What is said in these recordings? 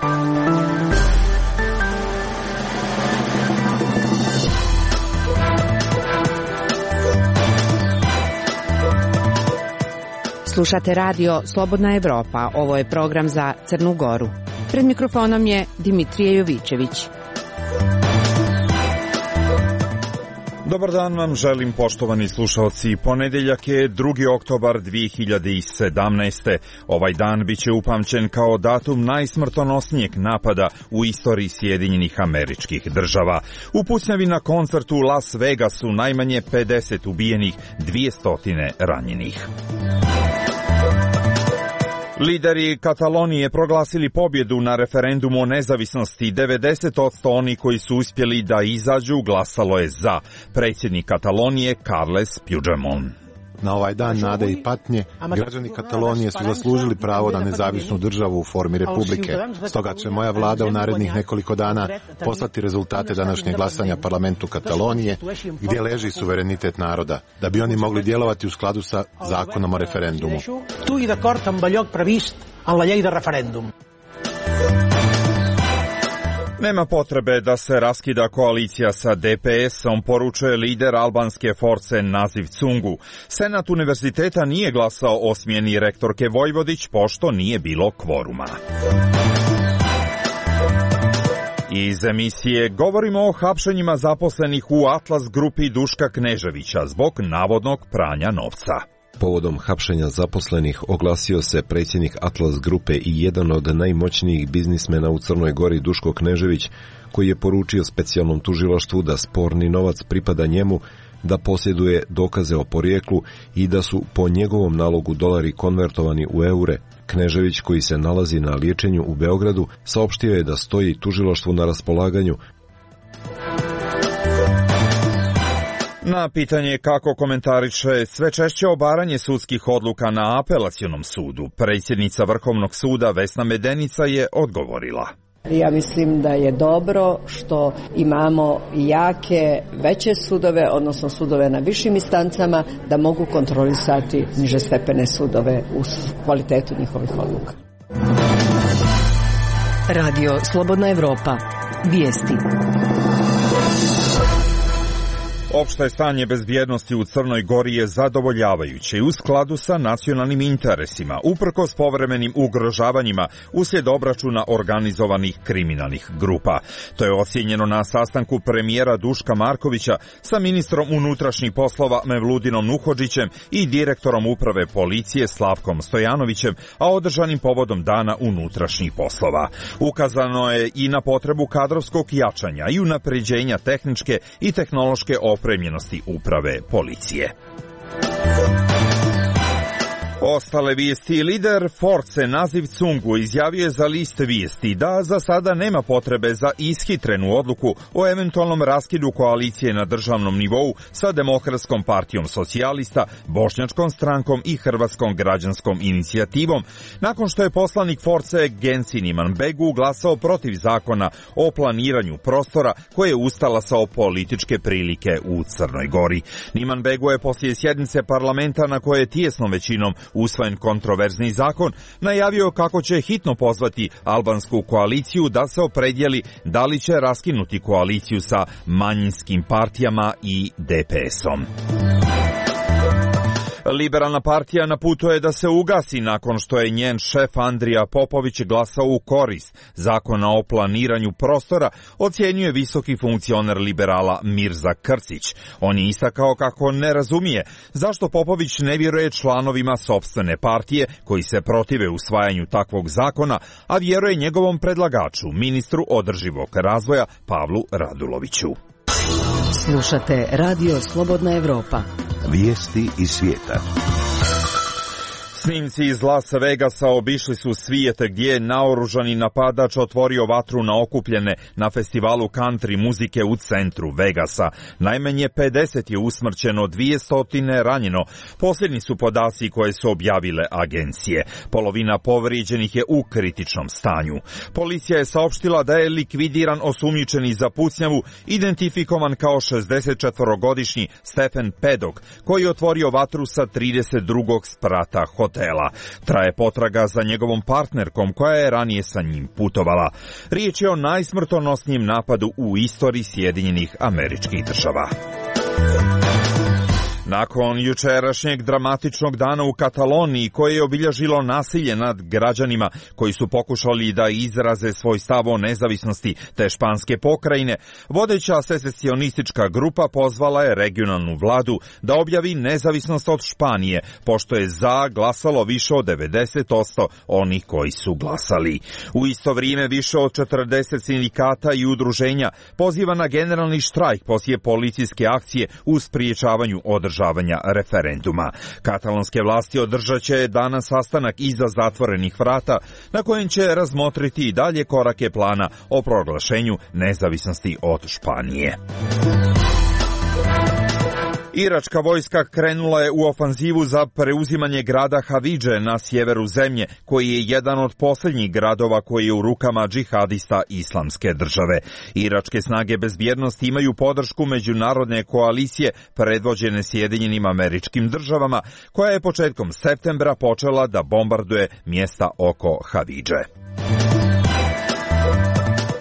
Slušate radio Slobodna Evropa. Ovo je program za Crnu Goru. Pred mikrofonom je Dimitrije Jovićević. Dobar dan vam želim, poštovani slušalci. Ponedeljak je 2. oktobar 2017. Ovaj dan biće upamćen kao datum najsmrtonosnijeg napada u istoriji Sjedinjenih Američkih Država. U pucnjavi na koncertu u Las Vegasu najmanje 50 ubijenih, 200 ranjenih. Lideri Katalonije proglasili pobjedu na referendumu o nezavisnosti. 90% onih koji su uspjeli da izađu glasalo je za. Predsjednik Katalonije Carles Puigdemont. Na ovaj dan nade i patnje, građani Katalonije su zaslužili pravo na nezavisnu državu u formi republike. Stoga će moja vlada u narednih nekoliko dana poslati rezultate današnjeg glasanja parlamentu Katalonije, gdje leži suverenitet naroda, da bi oni mogli djelovati u skladu sa zakonom o referendumu. Tu i d'acord amb allò previst en la llei de referèndum. Nema potrebe da se raskida koalicija sa DPS-om, poručuje lider albanske force Naziv Cungu. Senat univerziteta nije glasao o smjeni rektorke Vojvodić, pošto nije bilo kvoruma. Iz emisije govorimo o hapšenjima zaposlenih u Atlas grupi Duška Kneževića zbog navodnog pranja novca. Povodom hapšenja zaposlenih oglasio se predsjednik Atlas grupe i jedan od najmoćnijih biznismena u Crnoj Gori Duško Knežević, koji je poručio specijalnom tužilaštvu da sporni novac pripada njemu, da posjeduje dokaze o porijeklu i da su po njegovom nalogu dolari konvertovani u eure. Knežević, koji se nalazi na liječenju u Beogradu, saopštio je da stoji tužilaštvu na raspolaganju. Na pitanje kako komentariše sve češće obaranje sudskih odluka na apelacionom sudu, predsjednica Vrhovnog suda Vesna Medenica je odgovorila. Ja mislim da je dobro što imamo jake, veće sudove, odnosno sudove na višim instancama, da mogu kontrolisati nižestepene sudove u kvalitetu njihovih odluka. Radio Slobodna Evropa. Vijesti. Opšte stanje bezbjednosti u Crnoj Gori je zadovoljavajuće i u skladu sa nacionalnim interesima, uprkos povremenim ugrožavanjima uslijed obračuna organizovanih kriminalnih grupa. To je ocijenjeno na sastanku premijera Duška Markovića sa ministrom unutrašnjih poslova Mevludinom Nuhodžićem i direktorom uprave policije Slavkom Stojanovićem, a održanim povodom Dana unutrašnjih poslova. Ukazano je i na potrebu kadrovskog jačanja i unapređenja tehničke i tehnološke opremljenosti uprave policije. Ostale vijesti. Lider Force Naziv Cungu izjavio je za list vijesti da za sada nema potrebe za ishitrenu odluku o eventualnom raskidu koalicije na državnom nivou sa Demokratskom partijom socijalista, Bošnjačkom strankom i Hrvatskom građanskom inicijativom, nakon što je poslanik Force Gensin Imanbegu glasao protiv zakona o planiranju prostora koje je ustalasao političke prilike u Crnoj Gori. Imanbegu je poslije sjednice parlamenta na koje je tijesnom većinom usvojen kontroverzni zakon, najavio kako će hitno pozvati albansku koaliciju da se opredijeli da li će raskinuti koaliciju sa manjinskim partijama i DPS-om. Liberalna partija na putu je da se ugasi nakon što je njen šef Andrija Popović glasao u korist zakona o planiranju prostora, ocjenjuje visoki funkcioner liberala Mirza Krcić. On je istakao kako ne razumije zašto Popović ne vjeruje članovima sopstvene partije koji se protive usvajanju takvog zakona, a vjeruje njegovom predlagaču, ministru održivog razvoja Pavlu Raduloviću. Slušate Radio Slobodna Evropa. Vijesti iz svijeta. Snimci iz Las Vegasa obišli su svijet gdje je naoružani napadač otvorio vatru na okupljene na festivalu country muzike u centru Vegasa. Najmanje 50 je usmrćeno, 200 ranjeno. Posljednji su podaci koje su objavile agencije. Polovina povrijeđenih je u kritičnom stanju. Policija je saopštila da je likvidiran osumnjičeni za pucnjavu, identifikovan kao 64-godišnji Stephen Pedok, koji je otvorio vatru sa 32. sprata hotela. hotela. Traje potraga za njegovom partnerkom koja je ranije sa njim putovala. Riječ je o najsmrtonosnijem napadu u istoriji Sjedinjenih Američkih Država. Nakon jučerašnjeg dramatičnog dana u Kataloniji koje je obilježilo nasilje nad građanima koji su pokušali da izraze svoj stav o nezavisnosti te španske pokrajine, vodeća secesionistička grupa pozvala je regionalnu vladu da objavi nezavisnost od Španije, pošto je za glasalo više od 90% onih koji su glasali. U isto vrijeme više od 40 sindikata i udruženja poziva na generalni štrajk poslije policijske akcije u spriječavanju održavanja referenduma. Katalonske vlasti održat će danas sastanak iza zatvorenih vrata na kojem će razmotriti i dalje korake plana o proglašenju nezavisnosti od Španije. Iračka vojska krenula je u ofanzivu za preuzimanje grada Havidže na sjeveru zemlje, koji je jedan od posljednjih gradova koji je u rukama džihadista Islamske države. Iračke snage bezbjednosti imaju podršku međunarodne koalicije predvođene Sjedinjenim Američkim Državama, koja je početkom septembra počela da bombarduje mjesta oko Havidže.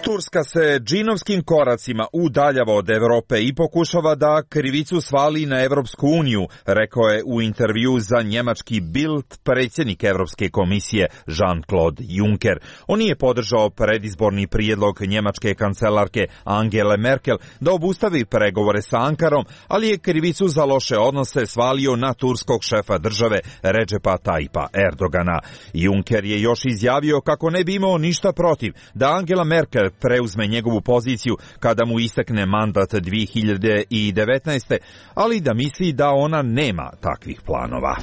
Turska se džinovskim koracima udaljava od Europe i pokušava da krivicu svali na Europsku uniju, rekao je u intervju za njemački Bild predsjednik Europske komisije Jean-Claude Juncker. On nije podržao predizborni prijedlog njemačke kancelarke Angele Merkel da obustavi pregovore sa Ankarom, ali je krivicu za loše odnose svalio na turskog šefa države Recepa Tayyipa Erdogana. Juncker je još izjavio kako ne bi imao ništa protiv da Angela Merkel preuzme njegovu poziciju kada mu istekne mandat 2019. ali da misli da ona nema takvih planova.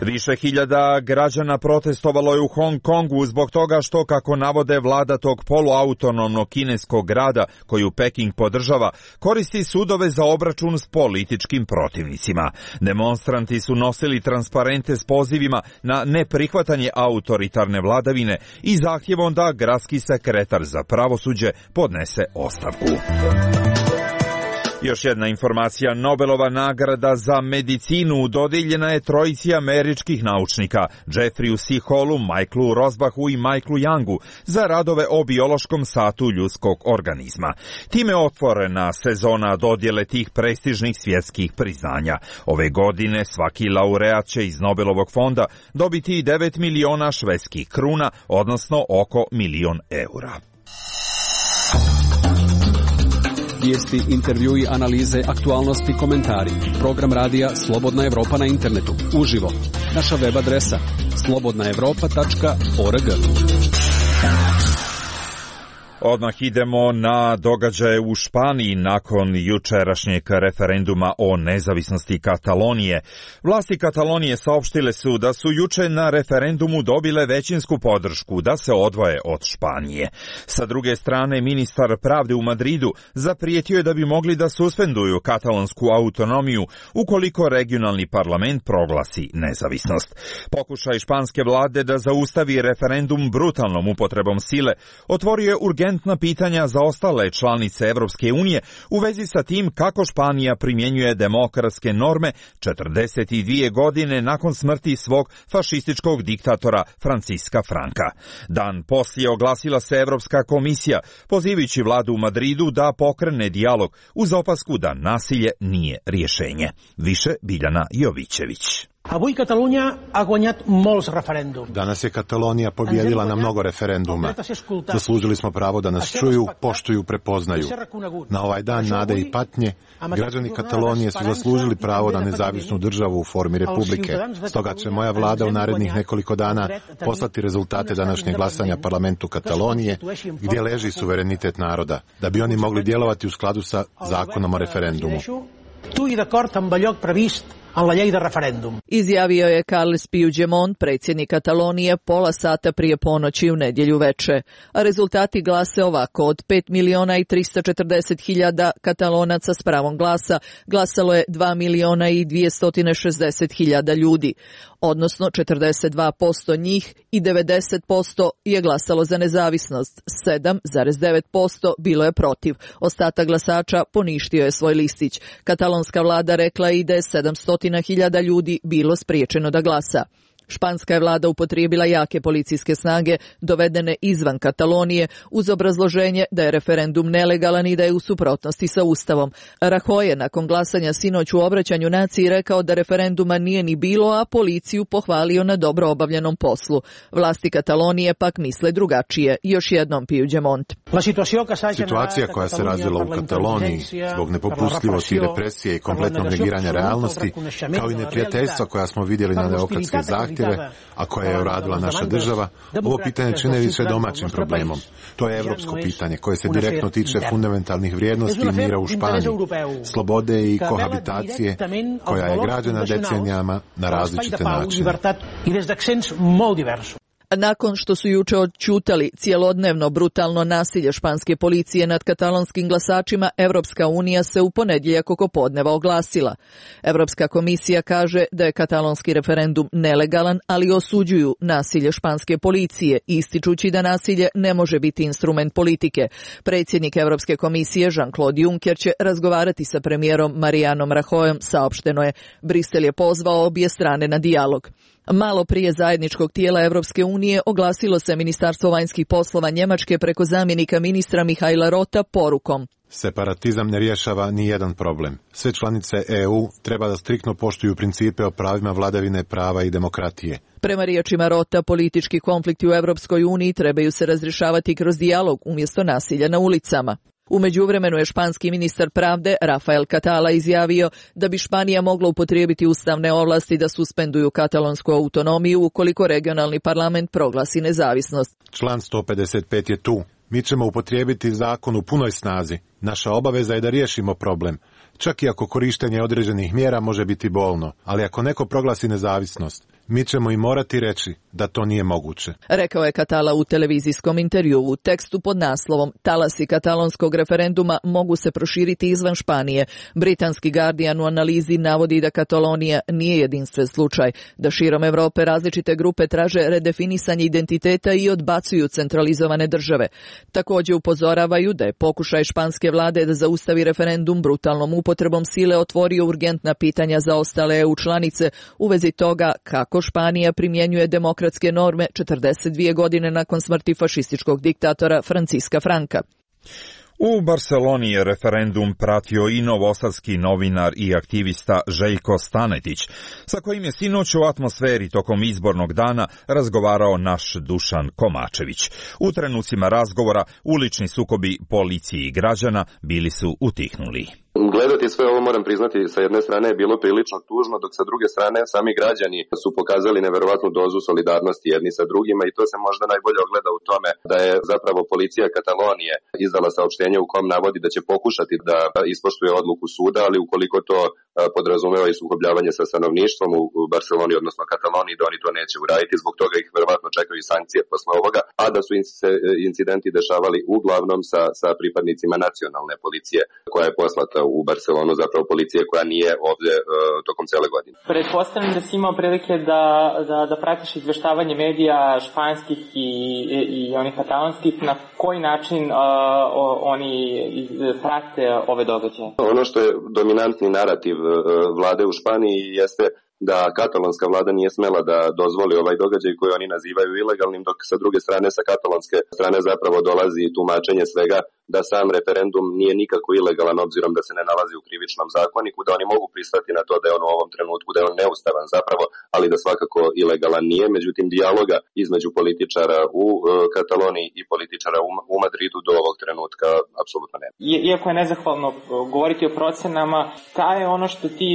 Više hiljada građana protestovalo je u Hong Kongu zbog toga što, kako navode vlada tog poluautonomnog kineskog grada koju Peking podržava, koristi sudove za obračun s političkim protivnicima. Demonstranti su nosili transparente s pozivima na neprihvatanje autoritarne vladavine i zahtjevom da gradski sekretar za pravosuđe podnese ostavku. Još jedna informacija, Nobelova nagrada za medicinu dodijeljena je trojici američkih naučnika, Jeffreyu C. Hallu, Michaelu Rosbachu i Michaelu Youngu, za radove o biološkom satu ljudskog organizma. Time je otvorena sezona dodjele tih prestižnih svjetskih priznanja. Ove godine svaki laureat će iz Nobelovog fonda dobiti 9 miliona švedskih kruna, odnosno oko €1.000.000. Vijesti, intervjui, analize, aktualnosti, komentari. Program radija Slobodna Evropa na internetu. Uživo. Naša web adresa slobodnaevropa.org. Odmah idemo na događaje u Španiji nakon jučerašnjeg referenduma o nezavisnosti Katalonije. Vlasti Katalonije saopštile su da su juče na referendumu dobile većinsku podršku da se odvoje od Španije. Sa druge strane, ministar pravde u Madridu zaprijetio je da bi mogli da suspenduju katalonsku autonomiju ukoliko regionalni parlament proglasi nezavisnost. Pokušaj španske vlade da zaustavi referendum brutalnom upotrebom sile otvorio je urgentna pitanja za ostale članice Evropske unije u vezi sa tim kako Španija primjenjuje demokratske norme 42 godine nakon smrti svog fašističkog diktatora Franciska Franka. Dan poslije oglasila se Evropska komisija, pozivajući vladu u Madridu da pokrene dijalog uz opasku da nasilje nije rješenje. Više Biljana Jovićević. Avui Catalunya ha guanyat molts referèndums. Danas je Katalonija pobjedila na mnogo referenduma. Zaslužili smo pravo da nas čuju, poštuju, prepoznaju. Na ovaj dan nade i patnje, građani Katalonije su zaslužili pravo na nezavisnu državu u formi republike. Stoga će moja vlada u narednih nekoliko dana poslati rezultate današnjeg glasanja parlamentu Katalonije, gdje leži suverenitet naroda, da bi oni mogli djelovati u skladu sa zakonom o referendumu. Tu i d'acord amb allò previst en la llei de referèndum. Izjavio je Carles Puigdemont, predsjednik Katalonije, pola sata prije ponoći u nedjelju veče. A rezultati glase ovako: od 5.340.000 Katalonaca s pravom glasa glasalo je 2.260.000 ljudi, odnosno 42% njih i 90% je glasalo za nezavisnost, 7,9% bilo je protiv. Ostatak glasača poništio je svoj listić. Katalonska vlada rekla je da je 700 hiljada ljudi bilo spriječeno da glasa. Španska je vlada upotrijebila jake policijske snage dovedene izvan Katalonije uz obrazloženje da je referendum nelegalan i da je u suprotnosti sa Ustavom. Rajoy je nakon glasanja sinoć u obraćanju naciji rekao da referenduma nije ni bilo, a policiju pohvalio na dobro obavljenom poslu. Vlasti Katalonije pak misle drugačije. Još jednom Puigdemont. Situacija koja se razvila u Kataloniji zbog nepopustljivosti i represije i kompletnog negiranja realnosti, kao i neprijateljstva koja smo vidjeli na demokratske zahtjeve, a koje je uradila naša država, ovo pitanje čine više domaćim problemom. To je evropsko pitanje koje se direktno tiče fundamentalnih vrijednosti i mira u Španiji, slobode i kohabitacije koja je građena decenijama na različite načine. Nakon što su juče odćutali cijelodnevno brutalno nasilje španske policije nad katalonskim glasačima, Evropska unija se u ponedjeljak oko podneva oglasila. Evropska komisija kaže da je katalonski referendum nelegalan, ali osuđuju nasilje španske policije, ističući da nasilje ne može biti instrument politike. Predsjednik Evropske komisije Jean-Claude Juncker će razgovarati sa premijerom Marijanom Rajoyom, saopšteno je. Brisel je pozvao obje strane na dijalog. Malo prije zajedničkog tijela Evropske unije oglasilo se Ministarstvo vanjskih poslova Njemačke preko zamjenika ministra Mihaila Rota porukom: Separatizam ne rješava ni jedan problem. Sve članice EU treba da striktno poštuju principe o pravima vladavine prava i demokratije. Prema riječima Rota, politički konflikti u Evropskoj uniji trebaju se razrješavati kroz dijalog umjesto nasilja na ulicama. U međuvremenu je španski ministar pravde Rafael Catala izjavio da bi Španija mogla upotrijebiti ustavne ovlasti da suspenduju katalonsku autonomiju ukoliko regionalni parlament proglasi nezavisnost. Član 155 je tu. Mi ćemo upotrijebiti zakon u punoj snazi. Naša obaveza je da riješimo problem. Čak i ako korištenje određenih mjera može biti bolno, ali ako neko proglasi nezavisnost, mi ćemo i morati reći da to nije moguće. Rekao je Catala u televizijskom intervjuu. U tekstu pod naslovom "Talasi katalonskog referenduma mogu se proširiti izvan Španije". Britanski Guardian u analizi navodi da Katalonija nije jedinstven slučaj, da širom Europe različite grupe traže redefinisanje identiteta i odbacuju centralizovane države. Također upozoravaju da je pokušaj španske vlade da zaustavi referendum brutalnom upotrebom sile otvorio urgentna pitanja za ostale EU članice u vezi toga kako Španija primjenjuje demokratske norme 42 godine nakon smrti fašističkog diktatora Franciska Franka. U Barceloni je referendum pratio i novosadski novinar i aktivista Željko Stanetić, sa kojim je sinoć u atmosferi tokom izbornog dana razgovarao naš Dušan Komačević. U trenucima razgovora ulični sukobi policije i građana bili su utihnuli. Gledati sve ovo, moram priznati, sa jedne strane je bilo prilično tužno, dok sa druge strane sami građani su pokazali neverovatnu dozu solidarnosti jedni sa drugima i to se možda najbolje ogleda u tome da je zapravo policija Katalonije izdala saopštenje u kom navodi da će pokušati da ispoštuje odluku suda, ali ukoliko to podrazumeva i sukobljavanje sa stanovništvom u Barceloni, odnosno Kataloniji, da oni to neće uraditi, zbog toga ih verovatno čekaju sankcije posle ovoga, a da su incidenti dešavali uglavnom sa pripadnicima nacionalne policije koja je poslata u Barcelonu, zapravo policije koja nije ovdje tokom cele godine. Pretpostavljam da si imao prilike da pratiš izveštavanje medija španskih i onih katalonskih, na koji način oni prate ove događaje? Ono što je dominantni narativ vlade u Španiji jeste da katalonska vlada nije smela da dozvoli ovaj događaj koji oni nazivaju ilegalnim, dok sa druge strane, sa katalonske strane zapravo dolazi tumačenje svega da sam referendum nije nikako ilegalan obzirom da se ne nalazi u krivičnom zakoniku, da oni mogu pristati na to da je on u ovom trenutku, da je on neustavan zapravo, ali da svakako ilegalan nije. Međutim, dijaloga između političara u Kataloniji i političara u Madridu do ovog trenutka apsolutno nema. Iako je nezahvalno govoriti o procenama, šta je ono što ti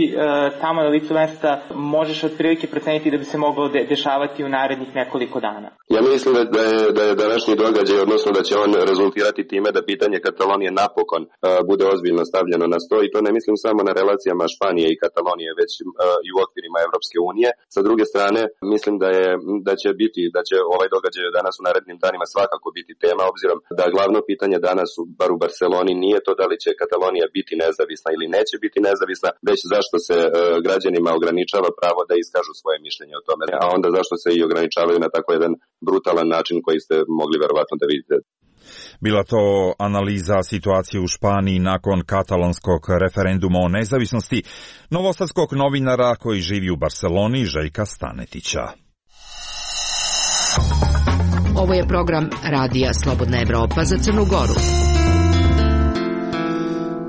tamo na licu mesta možeš otprilike proceniti da bi se moglo dešavati u narednih nekoliko dana? Ja mislim da je današnji događaj, odnosno da će on rezultirati time da pitanje Katalonije napokon bude ozbiljno stavljeno na sto, i to ne mislim samo na relacijama Španije i Katalonije, već i u okvirima Evropske unije. Sa druge strane, mislim da će ovaj događaj danas u narednim danima svakako biti tema, obzirom da glavno pitanje danas, bar u Barceloni, nije to da li će Katalonija biti nezavisna ili neće biti nezavisna, već zašto se građanima ograničava pravo da iskažu svoje mišljenje o tome, a onda zašto se i ograničavaju na tako jedan brutalan način koji ste mogli verovatno da vidite. Bila to analiza situacije u Španiji nakon katalonskog referenduma o nezavisnosti novosadskog novinara koji živi u Barseloni, Željka Stanetića. Ovo je program Radija Slobodna Evropa za Crnu Goru.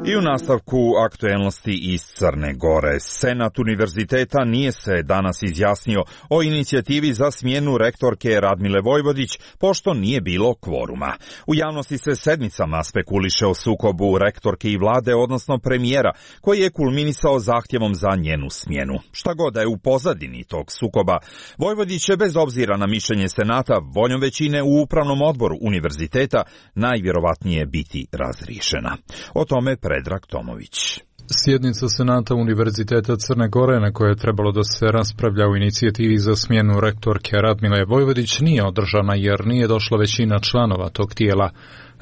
I u nastavku aktuelnosti iz Crne Gore. Senat univerziteta nije se danas izjasnio o inicijativi za smjenu rektorke Radmile Vojvodić, pošto nije bilo kvoruma. U javnosti se sedmicama spekuliše o sukobu rektorke i vlade, odnosno premijera, koji je kulminisao zahtjevom za njenu smjenu. Šta god da je u pozadini tog sukoba, Vojvodić će bez obzira na mišljenje Senata voljom većine u upravnom odboru univerziteta najvjerovatnije biti razriješena. O tome Predrag Tomović. Sjednica Senata Univerziteta Crne Gore, na kojoj je trebalo da se raspravlja u inicijativi za smjenu rektorke Radmile Vojvodić, nije održana jer nije došla većina članova tog tijela.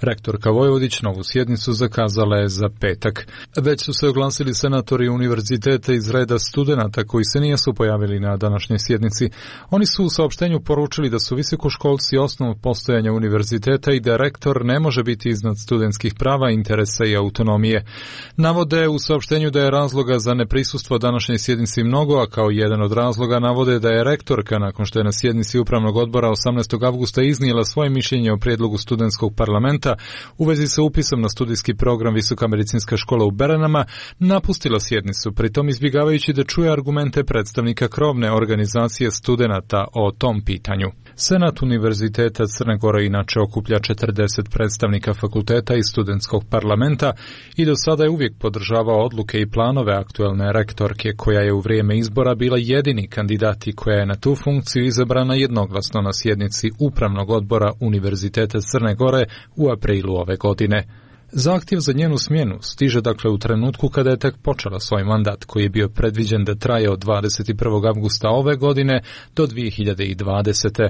Rektorka Vojvodić novu sjednicu zakazala je za petak. Već su se oglasili senatori univerziteta iz reda studenata koji se nisu pojavili na današnjoj sjednici. Oni su u saopštenju poručili da su visokoškolci osnov postojanja univerziteta i da rektor ne može biti iznad studentskih prava, interesa i autonomije. Navode u saopštenju da je razloga za neprisustvo današnjoj sjednici mnogo, a kao jedan od razloga navode da je rektorka, nakon što je na sjednici upravnog odbora 18. avgusta iznijela svoje mišljenje o prijedlogu studentskog parlamenta u vezi sa upisom na studijski program Visoka medicinska škola u Beranama, napustila sjednicu, pritom izbjegavajući da čuje argumente predstavnika krovne organizacije studenata o tom pitanju. Senat Univerziteta Crne Gore inače okuplja 40 predstavnika fakulteta i studentskog parlamenta i do sada je uvijek podržavao odluke i planove aktuelne rektorke, koja je u vrijeme izbora bila jedini kandidat i koja je na tu funkciju izabrana jednoglasno na sjednici Upravnog odbora Univerziteta Crne Gore u aprilu ove godine. Zahtjev za njenu smjenu stiže dakle u trenutku kada je tek počela svoj mandat, koji je bio predviđen da traje od 21. avgusta ove godine do 2020.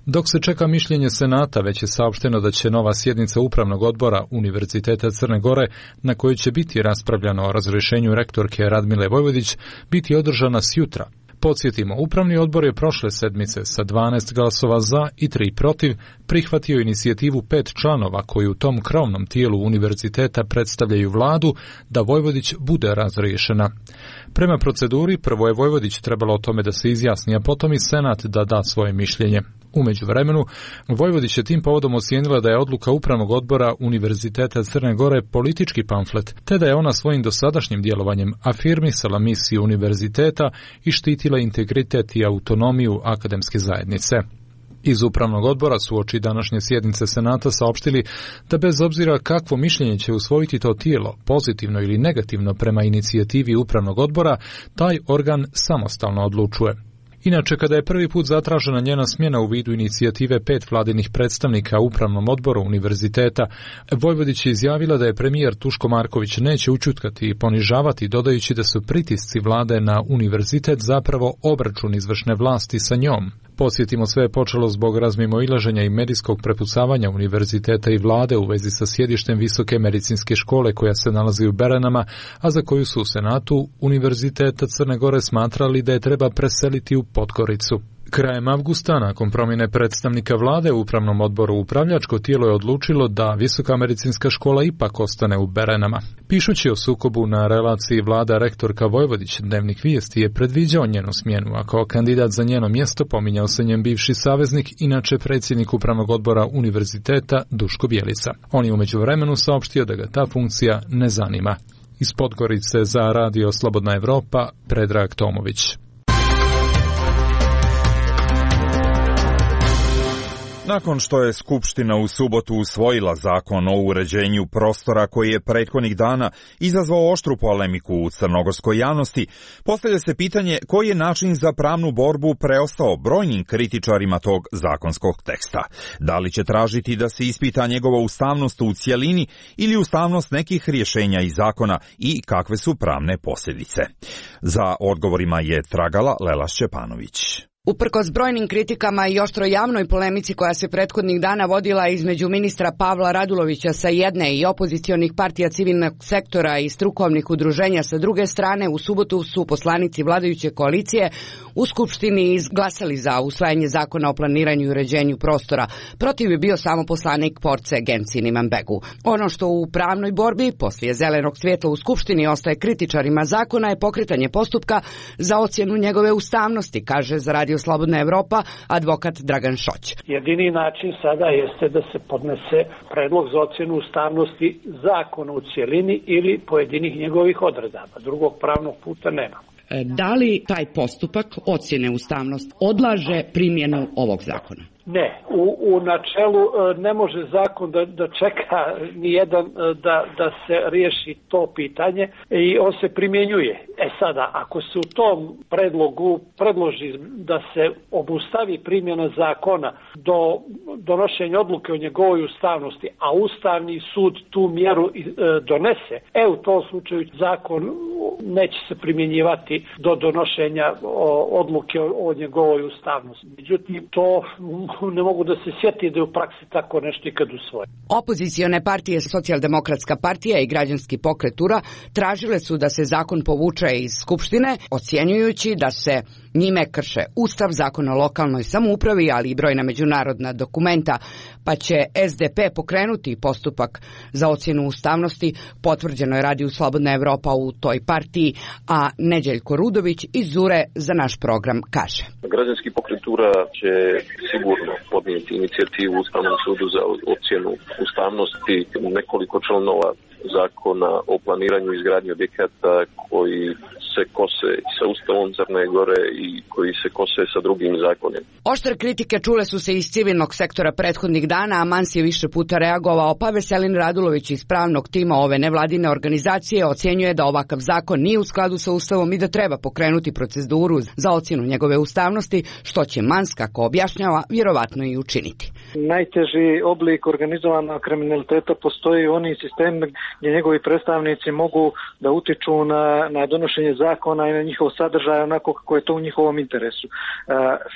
Dok se čeka mišljenje Senata, već je saopšteno da će nova sjednica Upravnog odbora Univerziteta Crne Gore, na kojoj će biti raspravljano o razrješenju rektorke Radmile Vojvodić, biti održana sjutra. Podsjetimo, Upravni odbor je prošle sedmice sa 12 glasova za i 3 protiv prihvatio inicijativu 5 članova koji u tom krovnom tijelu univerziteta predstavljaju vladu da Vojvodić bude razriješena. Prema proceduri, prvo je Vojvodić trebalo o tome da se izjasni, a potom i Senat da da svoje mišljenje. U međuvremenu, Vojvodić je tim povodom ocijenila da je odluka Upravnog odbora Univerziteta Crne Gore politički pamflet, te da je ona svojim dosadašnjim djelovanjem afirmisala misiju univerziteta i štitila integritet i autonomiju akademske zajednice. Iz Upravnog odbora su uoči današnje sjednice Senata saopštili da bez obzira kakvo mišljenje će usvojiti to tijelo, pozitivno ili negativno prema inicijativi Upravnog odbora, taj organ samostalno odlučuje. Inače, kada je prvi put zatražena njena smjena u vidu inicijative 5 vladinih predstavnika u Upravnom odboru univerziteta, Vojvodić je izjavila da je premijer Tuško Marković neće ućutkati i ponižavati, dodajući da su pritisci vlade na univerzitet zapravo obračun izvršne vlasti sa njom. Podsjetimo, sve je počelo zbog razmimoilaženja i medijskog prepucavanja univerziteta i vlade u vezi sa sjedištem Visoke medicinske škole koja se nalazi u Beranama, a za koju su u Senatu Univerziteta Crne Gore smatrali da je treba preseliti u Podgoricu. Krajem avgusta, nakon promjene predstavnika vlade u Upravnom odboru, upravljačko tijelo je odlučilo da Visoka medicinska škola ipak ostane u Beranama. Pišući o sukobu na relaciji vlada rektorka Vojvodić, Dnevnik Vijesti je predviđao njenu smjenu, a kao kandidat za njeno mjesto pominjao se njen bivši saveznik, inače predsjednik Upravnog odbora univerziteta Duško Bjelica. On je u međuvremenu saopštio da ga ta funkcija ne zanima. Iz Podgorice za Radio Slobodna Evropa, Predrag Tomović. Nakon što je Skupština u subotu usvojila zakon o uređenju prostora koji je prethodnih dana izazvao oštru polemiku u crnogorskoj javnosti, postavlja se pitanje koji je način za pravnu borbu preostao brojnim kritičarima tog zakonskog teksta. Da li će tražiti da se ispita njegova ustavnost u cjelini ili ustavnost nekih rješenja iz zakona i kakve su pravne posljedice? Za odgovorima je tragala Lela Šćepanović. Uprkos brojnim kritikama i oštro javnoj polemici koja se prethodnih dana vodila između ministra Pavla Radulovića sa jedne i opozicionih partija civilnog sektora i strukovnih udruženja sa druge strane, u subotu su poslanici vladajuće koalicije u Skupštini izglasali za usvajanje zakona o planiranju i uređenju prostora. Protiv je bio samo poslanik Force Gencin Imanbegu. Ono što u pravnoj borbi poslije zelenog svjetla u Skupštini ostaje kritičarima zakona je pokretanje postupka za ocjenu njegove ustavnosti, kaže za Radio Slobodna Evropa advokat Dragan Šoć. Jedini način sada jeste da se podnese predlog za ocjenu ustavnosti zakona u cijelini ili pojedinih njegovih odredaba. Drugog pravnog puta nema. Da li taj postupak ocjene ustavnosti odlaže primjenu ovog zakona? Ne, u načelu ne može zakon da čeka nijedan da se riješi to pitanje i on se primjenjuje. Sada, ako se u tom predlogu predloži da se obustavi primjena zakona do donošenja odluke o njegovoj ustavnosti, a Ustavni sud tu mjeru donese, u tom slučaju zakon neće se primjenjivati do donošenja odluke o njegovoj ustavnosti. Međutim, to ne mogu da se sjeti da je u praksi tako nešto ikad usvoje. Opozicione partije, Socijaldemokratska partija i Građanski pokret URA tražile su da se zakon povuče iz Skupštine, ocjenjujući da se njime krše Ustav, Zakon o lokalnoj samoupravi, ali i brojna međunarodna dokumenta, pa će SDP pokrenuti postupak za ocjenu ustavnosti, potvrđeno je Radio Slobodna Evropa u toj partiji, a Neđeljko Rudović iz URE za naš program kaže. Građanski pokret URA će sigurno podnijeti inicijativu u Ustavnom sudu za ocjenu ustavnosti nekoliko članova zakona o planiranju i izgradnji objekata koji se kose sa Ustavom Crne Gore i koji se kose sa drugim zakonima. Oštre kritike čule su se iz civilnog sektora prethodnih dana, a Mans je više puta reagovao, pa Veselin Radulović iz pravnog tima ove nevladine organizacije ocjenjuje da ovakav zakon nije u skladu sa Ustavom i da treba pokrenuti proceduru za ocjenu njegove ustavnosti, što će Mans, kako objašnjava, vjerovatno i učiniti. Najteži oblik organizovanog kriminaliteta postoji u onim sistemima gdje njegovi predstavnici mogu da utiču na donošenje zakona i na njihov sadržaj onako kako je to u njihovom interesu.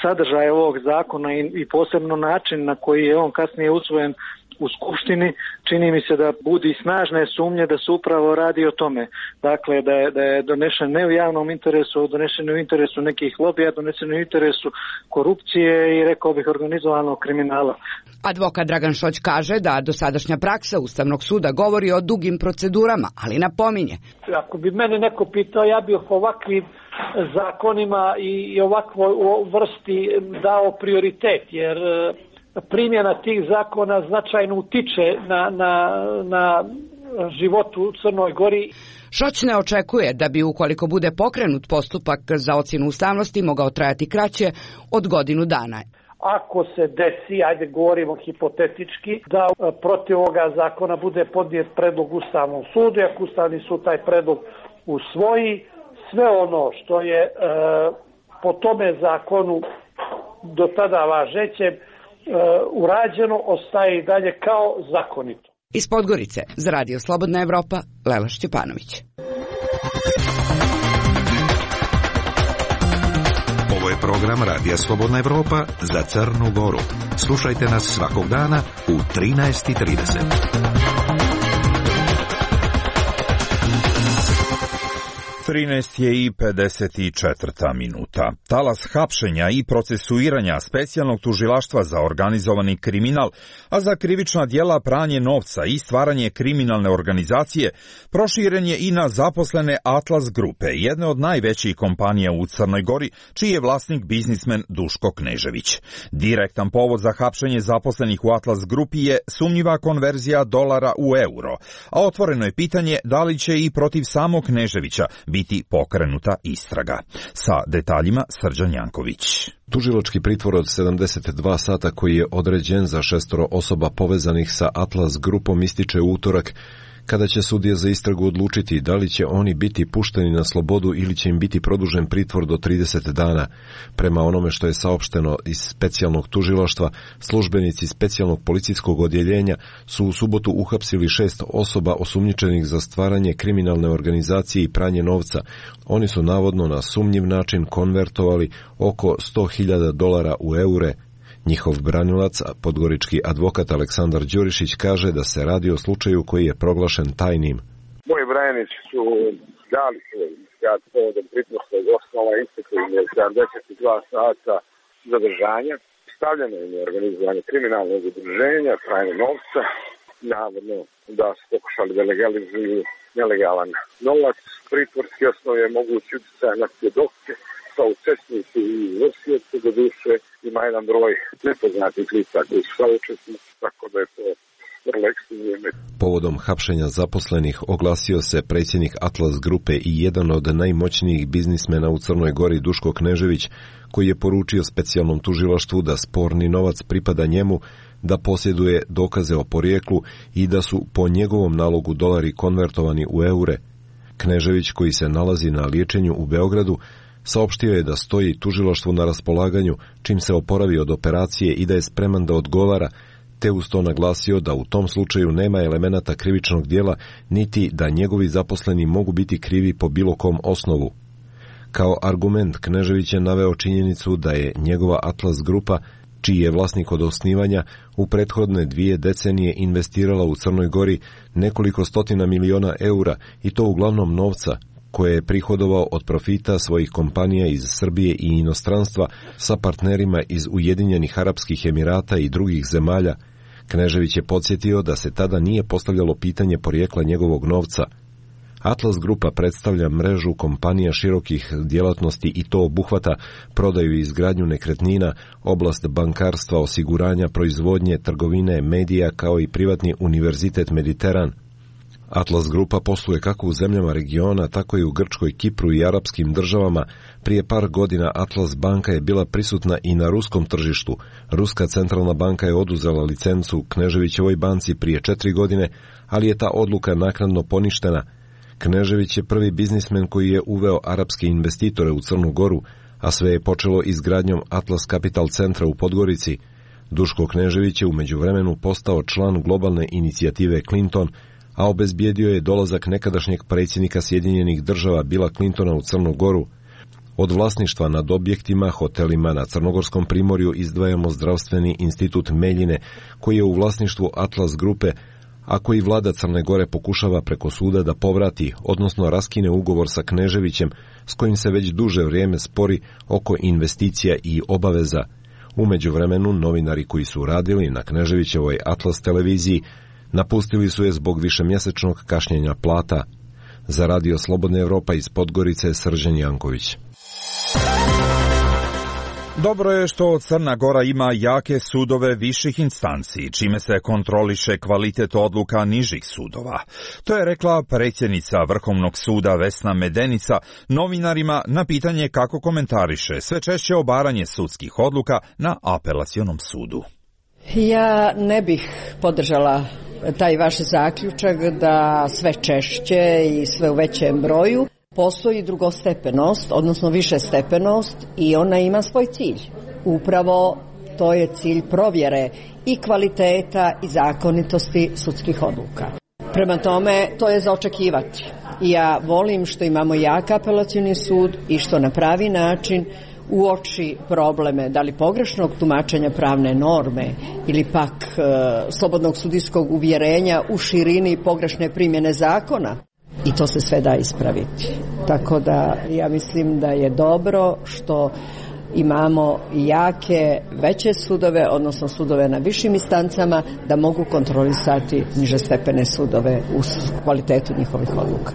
Sadržaj ovog zakona i posebno način na koji je on kasnije usvojen u Skupštini, čini mi se da budi snažne sumnje da se upravo radi o tome. Dakle, da je donešen ne u javnom interesu, donešen u interesu nekih lobija, donesen u interesu korupcije i rekao bih organizovanog kriminala. Advokat Dragan Šoć kaže da dosadašnja praksa Ustavnog suda govori o dugim procedurama, ali napominje. Ako bi mene neko pitao, ja bih ovakvim zakonima i ovakvoj vrsti dao prioritet, jer primjena tih zakona značajno utiče na životu u Crnoj Gori. Šoć ne očekuje da bi, ukoliko bude pokrenut postupak za ocjenu ustavnosti, mogao trajati kraće od godinu dana. Ako se desi, ajde govorimo hipotetički, da protiv ovoga zakona bude podnijet predlog Ustavnom sudu, ako Ustavni sud taj predlog usvoji, sve ono što je po tome zakonu do tada važećem urađeno ostaje i dalje kao zakonito. Iz Podgorice za Radio Slobodna Evropa, Lela Šćepanović. Ovo je program Radija Slobodna Evropa za Crnu Goru. Slušajte nas svakog dana u 13:30. 13 je i 54 minuta. Talas hapšenja i procesuiranja specijalnog tužilaštva za organizovani kriminal, a za krivična djela pranje novca i stvaranje kriminalne organizacije, proširen je i na zaposlene Atlas grupe, jedne od najvećih kompanija u Crnoj Gori, čiji je vlasnik biznismen Duško Knežević. Direktan povod za hapšenje zaposlenih u Atlas grupi je sumnjiva konverzija dolara u euro, a otvoreno je pitanje da li će i protiv samog Kneževića biti pokrenuta istraga. Sa detaljima Srđan Janković. Tužilački pritvor od 72 sata koji je određen za 6 osoba povezanih sa Atlas grupom ističe utorak Kada će sudija za istragu odlučiti da li će oni biti pušteni na slobodu ili će im biti produžen pritvor do 30 dana. Prema onome što je saopšteno iz specijalnog tužilaštva, službenici specijalnog policijskog odjeljenja su u subotu uhapsili 6 osoba osumnjičenih za stvaranje kriminalne organizacije i pranje novca. Oni su navodno na sumnjiv način konvertovali oko $100.000 u eure. Njihov branilac, podgorički advokat Aleksandar Đurišić, kaže da se radi o slučaju koji je proglašen tajnim. Moji branjenici su dali svoj iskaz povodom pritvorskog osnova, isteklo im je 72 sata zadržanja, stavljeno im je organizovanje kriminalnog udruženja, pranje novca, navodno da su pokušali da legalizuju nelegalan novac. Pritvorski osnov je mogući utjecaj na svjedoke, sa učesnici i vrsioci, do duše ima jedan broj nepoznatih lica koji su saučesnici, tako da je to vrlo ekstremno. Povodom hapšenja zaposlenih oglasio se predsjednik Atlas grupe i jedan od najmoćnijih biznismena u Crnoj Gori Duško Knežević, koji je poručio specijalnom tužilaštvu da sporni novac pripada njemu, da posjeduje dokaze o porijeklu i da su po njegovom nalogu dolari konvertovani u eure. Knežević, koji se nalazi na liječenju u Beogradu, saopštio je da stoji tužilaštvu na raspolaganju čim se oporavi od operacije i da je spreman da odgovara, te uz to naglasio da u tom slučaju nema elemenata krivičnog djela, niti da njegovi zaposleni mogu biti krivi po bilo kom osnovu. Kao argument Knežević je naveo činjenicu da je njegova Atlas grupa, čiji je vlasnik od osnivanja, u prethodne 2 decenije investirala u Crnoj Gori nekoliko stotina miliona eura, i to uglavnom novca koje je prihodovao od profita svojih kompanija iz Srbije i inostranstva sa partnerima iz Ujedinjenih Arapskih Emirata i drugih zemalja. Knežević je podsjetio da se tada nije postavljalo pitanje porijekla njegovog novca. Atlas grupa predstavlja mrežu kompanija širokih djelatnosti i to obuhvata prodaju i izgradnju nekretnina, oblast bankarstva, osiguranja, proizvodnje, trgovine, medija, kao i privatni univerzitet Mediteran. Atlas grupa posluje kako u zemljama regiona, tako i u Grčkoj, Kipru i arapskim državama. Prije par godina Atlas banka je bila prisutna i na ruskom tržištu. Ruska centralna banka je oduzela licencu Kneževićevoj banci prije 4 godine, ali je ta odluka naknadno poništena. Knežević je prvi biznismen koji je uveo arapske investitore u Crnu Goru, a sve je počelo izgradnjom Atlas Capital centra u Podgorici. Duško Knežević je u međuvremenu postao član globalne inicijative Clinton, a obezbijedio je dolazak nekadašnjeg predsjednika Sjedinjenih Država Billa Clintona u Crnu Goru. Od vlasništva nad objektima, hotelima na Crnogorskom primorju izdvajamo zdravstveni institut Meljine, koji je u vlasništvu Atlas grupe, a koji vlada Crne Gore pokušava preko suda da povrati, odnosno raskine ugovor sa Kneževićem, s kojim se već duže vrijeme spori oko investicija i obaveza. U međuvremenu, novinari koji su radili na Kneževićevoj Atlas televiziji napustili su je zbog višemjesečnog kašnjenja plata. Za Radio Slobodna Evropa iz Podgorice, Srđan Janković. Dobro je što Crna Gora ima jake sudove viših instanci, čime se kontroliše kvalitet odluka nižih sudova. To je rekla predsjednica Vrhovnog suda Vesna Medenica novinarima na pitanje kako komentariše sve češće obaranje sudskih odluka na apelacionom sudu. Ja ne bih podržala taj vaš zaključak da sve češće i sve u većem broju postoji drugostepenost, odnosno višestepenost, i ona ima svoj cilj. Upravo to je cilj provjere i kvaliteta i zakonitosti sudskih odluka. Prema tome, to je za očekivati. Ja volim što imamo jak apelacioni sud i što na pravi način uoči probleme, da li pogrešnog tumačenja pravne norme ili pak slobodnog sudijskog uvjerenja u širini pogrešne primjene zakona. I to se sve da ispraviti. Tako da ja mislim da je dobro što imamo jake, veće sudove, odnosno sudove na višim instancama, da mogu kontrolisati nižestepene sudove u kvalitetu njihovih odluka.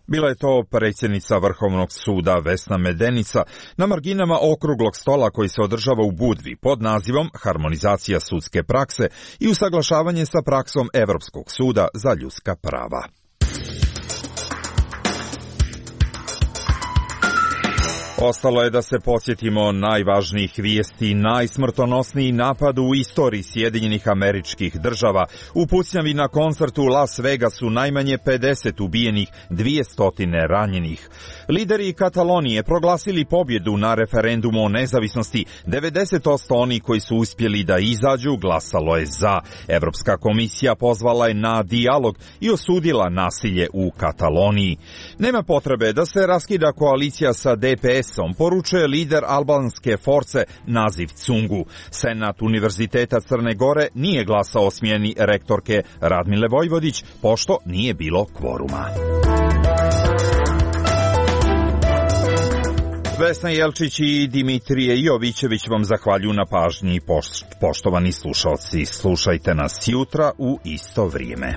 Bila je to predsjednica Vrhovnog suda Vesna Medenica na marginama okruglog stola koji se održava u Budvi pod nazivom Harmonizacija sudske prakse i usaglašavanje sa praksom Evropskog suda za ljudska prava. Ostalo je da se podsjetimo najvažnijih vijesti. Najsmrtonosniji napad u istoriji Sjedinjenih Američkih Država. U pucnjavi na koncertu u Las Vegasu najmanje 50 ubijenih, 200 ranjenih. Lideri Katalonije proglasili pobjedu na referendumu o nezavisnosti. 90% oni koji su uspjeli da izađu glasalo je za. Evropska komisija pozvala je na dijalog i osudila nasilje u Kataloniji. Nema potrebe da se raskida koalicija sa DPS-om, poručuje lider albanske force Naziv Cungu. Senat Univerziteta Crne Gore nije glasao o smjeni rektorke Radmile Vojvodić, pošto nije bilo kvoruma. Vesna Jelčić i Dimitrije Jovićević vam zahvaljuju na pažnji. Poštovani slušalci, slušajte nas jutra u isto vrijeme.